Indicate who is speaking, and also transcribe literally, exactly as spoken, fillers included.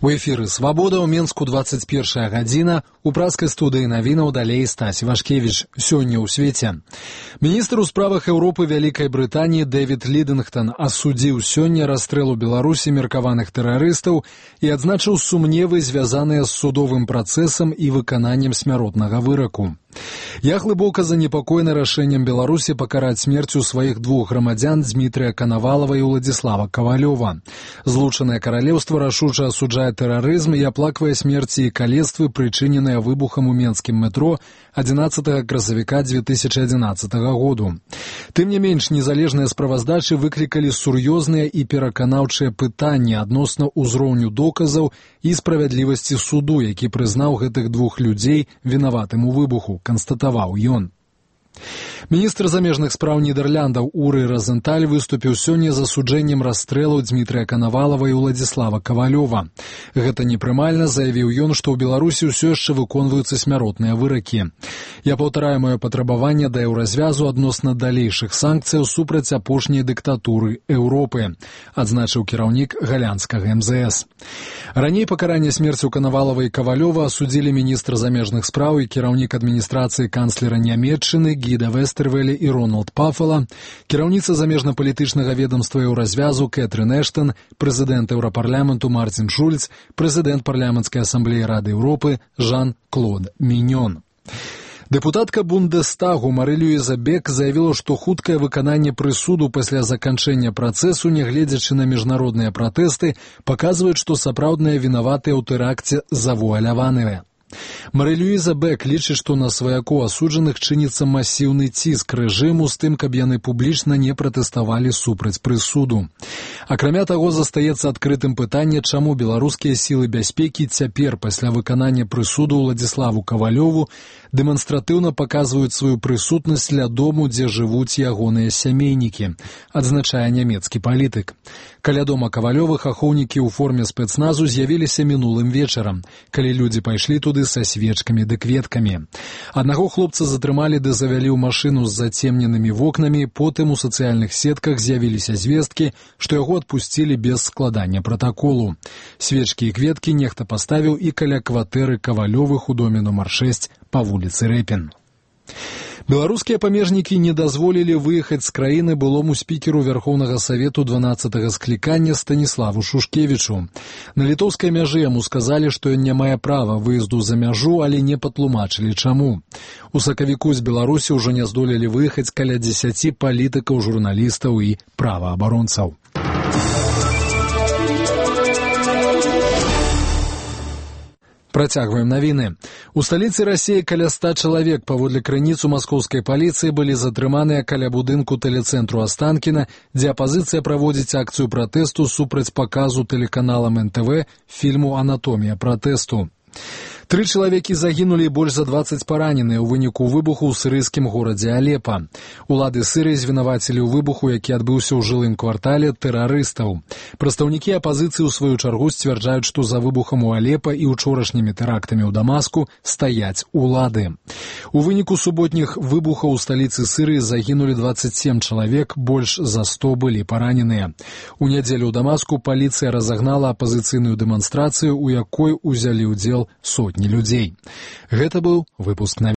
Speaker 1: У эфіры «Свабода» ў Менску двадцать першая гадзіна. У праскай студыі навінаў далей Стась Вашкевіч. Сёння ў свеце. Міністр у справах Еўропы Вялікай Брытаніі Дэвід Лідынгтон асудзіў сёння расстрэл у Беларусі меркаваных тэрарыстаў і адзначыў сумневы, звязаныя з судовым працэсам і выкананнем смяротнага выраку. Я глыбока занепакоены рашэннем Беларусі пакараць смерцю сваіх двух грамадзян Дмітрыя Канавалава і Уладзіслава Кавалёва. Злучанае каралеўства рашуча асуджае тэрарызм і аплаквае смерці і калецтвы, прычыненыя выбухам у менскім метро адзінаццатага красавіка дзве тысячы адзінаццатага году. Тым не менш, незалежныя справаздачы выклікалі сур'ёзныя і пераканаўчыя пытанні адносна ўзроўню доказаў і справядлівасці суду, які прызнаў гэтых двух людзей вінаватым у выбуху, констатаваў ён. Міністр замежных спраў Нідерландаў Уры Розенталь выступіў сёння з асуджэннем расстрэлу Дмітрыя Канавалава і Уладзіслава Кавалёва. Гэта непрымальна, заявіў ён, што ў Беларусі ўсё яшчэ выконваюцца смяротныя выракі. Я паўтараю маё патрабаванне да еўразвязу адносна далейшых санкцыяў супраць апошняй дыктатуры Еўропы, адзначыў кіраўнік галандскага эм зэ эс. Раней пакаранне смерцю Канавалава і Кавалёва асудзілі міністр замежных спраў і кіраўнік адміністрацыі канцлера Нямецчыны Гіда Вестэрвелі і Рональд Пафала, кіраўніца замежна-палітычнага ведомства еўразвязу Кэтрын Эштон, прэзідэнт Еўрапарламенту Мартин Шульц, прэзідэнт парламенцкай асамблеі Рады Еўропы Жан-Клод Міньон. Дэпутатка Бундестагу Мары-Люіза Бек заявіла, што хуткае выкананне прысуду пасля заканчэння працэсу, нягледзячы на міжнародныя пратэсты, паказваюць, што сапраўдныя вінаватыя ў тэракце завуаляваныя. Мары-Люіза Бек лічыць, што на сваякоў асуджаных чыніцца масіўны ціск рэжыму з тым, каб яны публічна не пратэставалі супраць прысуду. Акрамя таго, застаецца адкрытым пытанне, чаму беларускія сілы бяспекі цяпер, пасля выканання прысуду Уладзіславу Кавалёву, дэманстратыўна паказваюць сваю прысутнасць ля дому, дзе жывуць ягоныя сямейнікі, адзначае нямецкі палітык. Каля дома Кавалёвых ахоўнікі ў форме спецназу з'явіліся мінулым вечарам, калі людзі пайшлі туды са свечкамі ды кветкамі. Аднаго хлопца затрымалі ды завялі ў машыну з зацемненымі вокнамі, потым у сацыяльных сетках з'явіліся звесткі, што яго адпусцілі без складання пратаколу. Свечкі і кветкі нехта паставіў і каля кватэры Кавалёвых у доме нумар шэсць па вуліцы Рэпін. Беларускія памежнікі не дазволілі выехаць з краіны былому спікеру Вярхоўнага Савету дванаццатага склікання Станіславу Шушкевічу. На літоўскай мяжы яму сказалі, што ён не мае права выезду за мяжу, але не патлумачылі чаму. У сакавіку з Беларусі ўжо не здолелі выехаць каля дзесяці палітыкаў, журналістаў і праваабаронцаў. Працягваем навіны. У сталіцы Расіі каля ста чалавек паводле крыніц у маскоўскай паліцыі былі затрыманыя каля будынку тэлецэнтру Астанкіна, дзе апазіцыя праводзіць акцыю пратэсту супраць паказу тэлеканалам эн тэ вэ фільму «Анатомія пратэсту». Тры чалавекі загінулі і больш за дваццаць параненыя ў выніку выбуху ў сірыйскім горадзе Алепа. Улады Сірыі звінавацілі ў выбуху, які адбыўся ў жылым квартале, тэрарыстаў. Прадстаўнікі апазіцыі ў сваю чаргу сцвярджаюць, што за выбухам у Алепа і ўчорашнімі тэрактамі ў Дамаску стаяць улады. У выніку суботніх выбухаў у сталіцы Сірыі загінулі дваццаць сем чалавек, больш за сто былі параненыя. У нядзелю ў Дамаску паліцыя разагнала апазіцыйную дэманстрацыю, у якой узялі ўдзел сотні людзей. Гэта быў выпуск навін.